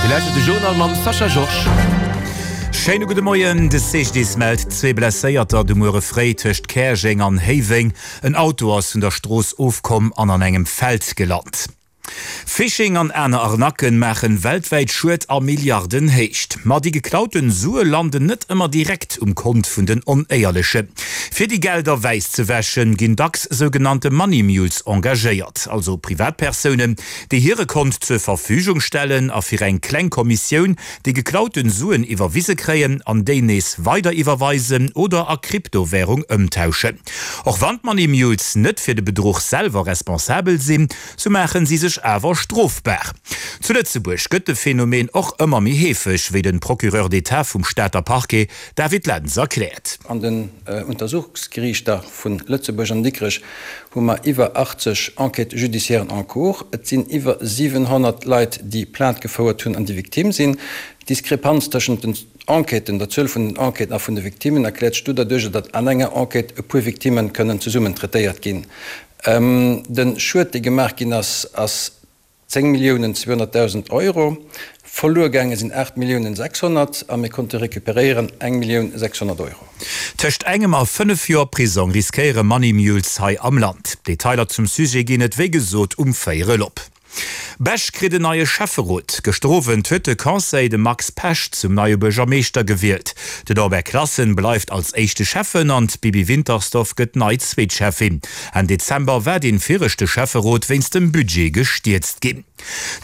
Dir lauschtert de Journal mam Sascha Georges. Schéine gudde Moien. De CGDIS mellt zwee Blesséierter de Muere fréi tëscht Käerjeng an Héiweng. En Auto ass vun der Strooss ofkomm an an engem Feld gelant. Phishing an aner Arnacken maachen weltwäit Schued a Milliardenhéicht. Ma déi geklauten Sue landen net ëmmer direkt um Kont vun den Onéierlechen. Fir déi Gelder wäiss ze wäschen, ginn dacks sougenannte Money Mules engagéiert, also Privatpersounen, déi hire Kont zur Verfügung stellen a fir eng kleng Kommissioun déi geklauten Suen iwwerwise kréien an déi nees weider iwwerweisen oder a Kryptowärung ëmtauschen. Och wann d'Money Mules net fir de Bedruch selwer responsabel sinn, sou maachen si sech awer strofbar. Zu Lëtzebuerg gëtt de Phänomen och ëmmer méi heefeg, wéi den Procureur d'État vum Stater Parquet David Lentz erkläert. An den Untersuchungsgeriichter vu Lëtzebuerg an Dikrech hu mer iwwer 80 Enquêtes judiciairen en cours. Et sinn iwwer 700 Leit, déi Plainte gefouert hunn an déi Victime sinn. D'Diskrepanz tëschent den Enquêten, der Zuel vun den Enquêten a vun de Victimen erkläert sech doderduercher, datt an enger Enquête e puer Victimme kënnen zesummen traitéiert ginn. De Schued, dee gemaach ginn ass, ass 10 Milliounen 200.000 Euro. Verluer gaange sinn 8 Milliounen 600 a mir konnte recuperéieren eng Millioun 600 Euro. Tëscht engem a 5 Joer Prisong riskéiere Money Mules hei am Land. Detailer zum Sujet ginn et wéi gesot um véierel op. Bech kritt en neie Schäfferot. Gëschter Owend huet de Conseil de Max Pesch zum neie Buergermeeschter gewielt. De Norbert Klassen bleift als éischte Schäffen an d'Bibi Wintersdorf gëtt nei zweet Schäffin. Enn Dezember war dee viregte Schäfferot wéinst dem Budget gestierzt ginn.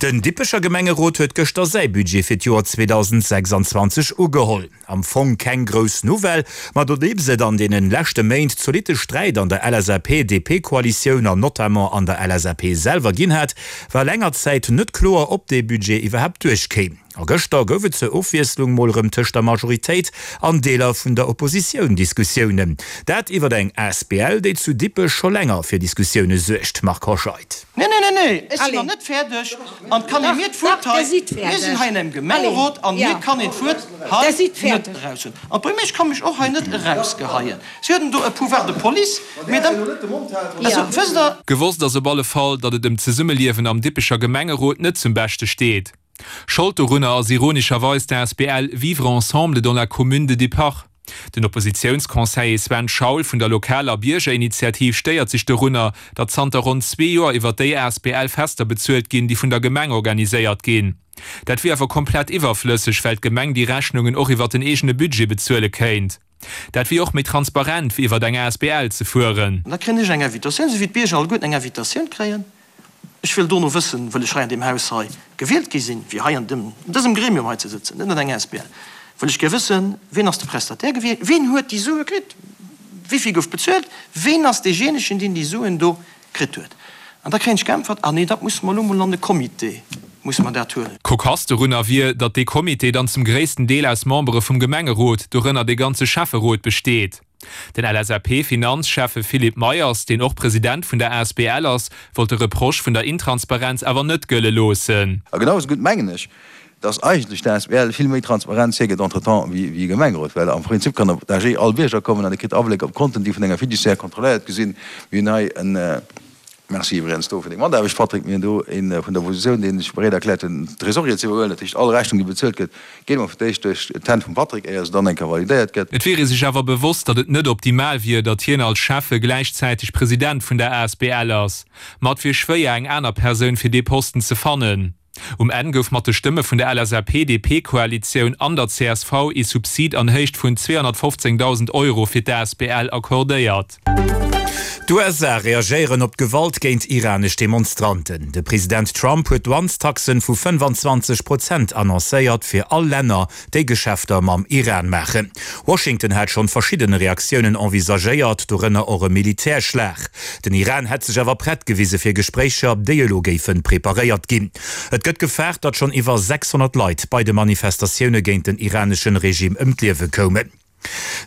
Den Dippecher Gemengerot huet gëschter säi Budget fir d'Joer 2026 ugeholl. Am Fong keng grouss Nouvelle, ma nodeems et an deenen leschte Méint zolitte Sträit an der LSAP-DP-Koalitioun an notamment an der LSAP selwer ginn hat, war länger Zäit net kloer, ob dee Budget iwwerhaapt duerchkéim. A gëschter gouf et zur Ofwiesslung mol erëm tëscht der Majoritéit an Deeler vun der Oppositioun Diskussiounen. Dat iwwer eng asbl, déi zu Dippech scho länger fir Diskussioune suergt. Marc Hoscheid. Nee, nee, nee, nee, ech sinn nach net fäerdeg an et kann ee mir d'Wuert hei, mir sinn hei an engem Gemengerot an mir kann een d'Wuert hei net eraushuelen. An d'Buergermeesch ka mech och hei net erausgeheien. Si huet do e Pouvoir de police, mee da, also wësst Der. Gewosst ass op alle Fall, datt et ëm d'Zesummeliewen am Dippecher Gemengerot net zum Beschte steet. Schold dorunner ass ironescherweis d'ASBL Vivre ensemble dans la commune de Dippach. Den Oppositiounsconseiller Sven Schaul vun der lokaler Biergerinitiativ stéiert sech dorunner, datt zanter ronn zwee Joer iwwer déi asbl Fester bezuelt ginn, déi vun der Gemeng organiséiert ginn. Dat wier awer komplett iwwerflësseg, well d'Gemeng déi Rechnungen och iwwer den eegene Budget bezuele kéint. Dat wier och méi transparent, wéi iwwer eng asbl ze fueren. An da kréien ech eng Invitatioun, esou wéi d'Bierger alleguerten eng Invitatioun kréien. Ech wëll dono wëssen, wëll ech hei an deem Haus hei gewielt gi sinn, fir hei an dem, an dësem Gremium hei ze sëtzen, net an enger asbl, wëll ech gär wëssen, wien ass de Prestataire gewiescht, wien huet déi Sue kritt, wéi vill gouf bezuelt, wien ass deejéinegen, deen déi Suen do kritt huet. An da kréien ech geäntwert, Ah nee, dat musse mer elo mol an de Comité musse mer dat huelen. Cocasse dorunner wier, datt dee Comité dann zum gréissten Deel aus Membere vum Gemengerot, dorënner dee ganze Schäfferot, besteet. Den LSAP-Finanzschäffe Philippe Meyers, deen och President vun der asbl ass, wollt de Reproche vun der Intransparenz awer net gëlle loossen. A genau esou gutt mengen ech, dass eigentlech d'asbl vill méi Transparenz hiergëtt entretemps wéi e Gemengerot, well am Prinzip kann op d'AG all Bierger kommen an e kritt Abléck op d'Konten, déi vun enger Fiduciaire kontrolléiert gi sinn. Mir hunn hei en, Merci iwwregens do fir deng Mataarbecht, Patrick. Mir hunn do ee vun der Oppositioun, dee sech bereet erkläert huet, den Tresorier ze iwwerhuelen. Dat heescht, all Rechnung, déi bezuelt gëtt, geet emol fir d'éischt duerch d'Hänn vum Patrick, éier se dann eng Kéier validéiert gëtt. Et wier ee sech awer bewosst, datt et net optimal wier, datt hien als Schäffe gläichzäiteg President vun der asbl ass. Ma et wier schwéier, eng aner Persoun fir dee Posten ze fannen. Um Enn gouf mat de Stëmme vun der LSAP-DP-Koalitioun an der csv ee Subsid an Héicht vun 215.000 Euro fir d'ASBL accordéiert. D'USA reagéieren op d'Gewalt géint iranesch Demonstranten. De President Trump huet Douanestaxen vu 25 Prozent annoncéiert fir all Länner, déi Geschäfter mam Iran maachen. Washington hat schonn verschidden Reaktiounen envisagéiert, dorënner och e Militärschlag. Den Iran hätt sech awer prett gewise fir Gespréicher, déi elo géife preparéiert ginn. Et gëtt gefaart, datt schonn iwwer 600 Leit bei de Manifestatioune géint den iraneschen Regime ëm d'Liewe koumen.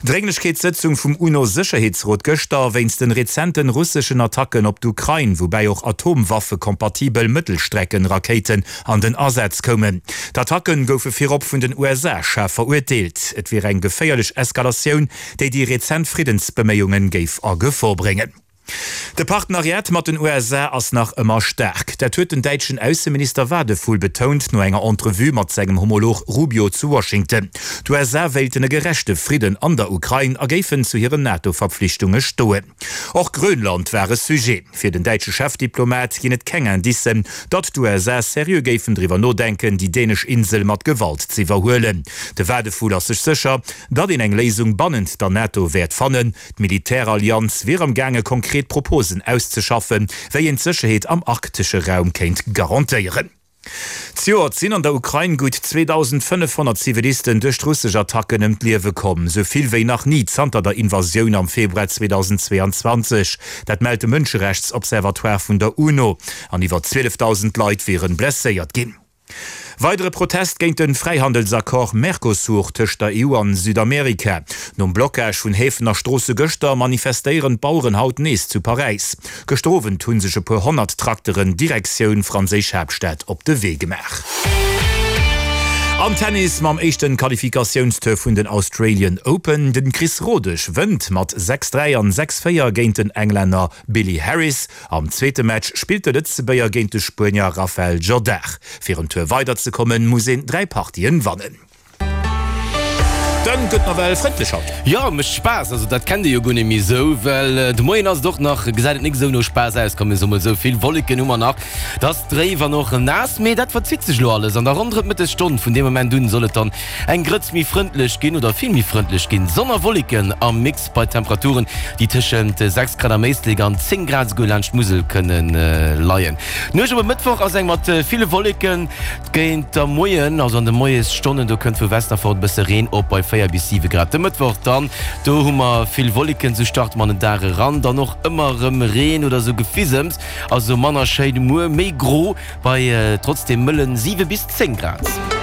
Drénglechkeetssëtzung vum UNO-Sécherheetsrot gëschter wéinst den rezenten russeschen Attacken op d'Ukrain, woubäi och atomwaffekompatibel Mëttelstreckenrakéiten an den Asaz koumen. D'Attacken goufe virop vun den USA schaarf verurteelt. Et wier eng geféierlech Eskalatioun, déi déi rezent Friddensbeméiunge géif a Gefor bréngen. De Partenariat mat den USA ass nach ëmmer staark. Dat huet den däitschen Ausseminister Wadephul betount no enger Entrevue mat sengem Homolog Rubio zu Washington. D'USA wéilten e gerechte Fridden an der Ukrain a géifen zu hiren NATO-Verpflichtunge stoen. Och Grönland war e Sujet. Fir den däitsche Chefdiplomat ginn et keng Indicen, datt d'USA seriö géifen driwwer nodenken, déi dänesch Insel mat Gewalt z'iwwerhuelen. De Wadephul ass sech sécher, datt een eng Léisung bannent der NATO wäert fannen. D'Militärallianz wier am gaange konkret Proposen auszeschaffen, wéi een d'Sécherheet am arktesche Raum kéint garantéieren. Zejoert sinn an der Ukrain gutt 2.500 Zivilisten duerch d'russesch Attacken ëm d'Liewe komm, sou vill wéi nach ni zanter der Invasioun am Februar 2022. Dat mellt de Mënscherechtsobservatoire vun der UNO. An iwwer 12.000 Leit wiere blesséiert ginn. Weidere Protest géint de Fräihandelsaccord Mercosur tëscht der EU an Südamerika. Nom Blockage vun Häfen a Stroosse gëschter, manifestéieren d'Baueren haut nees zu Paräis. Gëschter Owend hu sech e puer 100 Trakteren Direktioun franséisch Haaptstad op de Wee gemaach. Am Tennis mam éischten Qualifikatiounstour vun den Australian Open. Den Chris Rodesch wënnt mat 6, 3 an 6, 4 géint den Englänner Billy Harris. Am zweete Match spillt de Lëtzebuerger géint de Spuenier Rafael Jodar. Fir en Tour weider ze kommen, muss een 3 Partien wannen. Den gëtt nawell frëndlech haut. Jo, mécht Spaass. Also dat kennt ee jo guer net méi esou, well de Moien ass et och nach, gesäit et nik esou no Spaass aus, komm mir soe mol esou. Vill Wolleken hu mer nach, et ass dréif an och naass, mee dat verzitt sech elo alles an der ronderëm d'Mëttesstonn. Vun deem Moment un soll et dann eng Grëtz méi frëndlech ginn oder vill méi frëndlech ginn. Sonn a Wolleken am Mix bei Temperaturen, déi tëschent 6 Grad am Éislek an 10 Grad esouguer laanscht d'Musel kënne leien. D'Nuecht op e Mëttwoch ass eng mat ville Wolleken. Géint der Moien, also an de Moiesstonnen, do kënnt vu Westen erfort e bësse Reen op bei 4 bis 7 Grad. De Mëttwoch dann, do hu mer vill Wolleken, sou starte mer an den Dag eran, dann och ëmmer erëm Reen oder sou Gefisems, also manner schéin. Muer méi gro bei trotzdem mëllen 7 bis 10 Grad.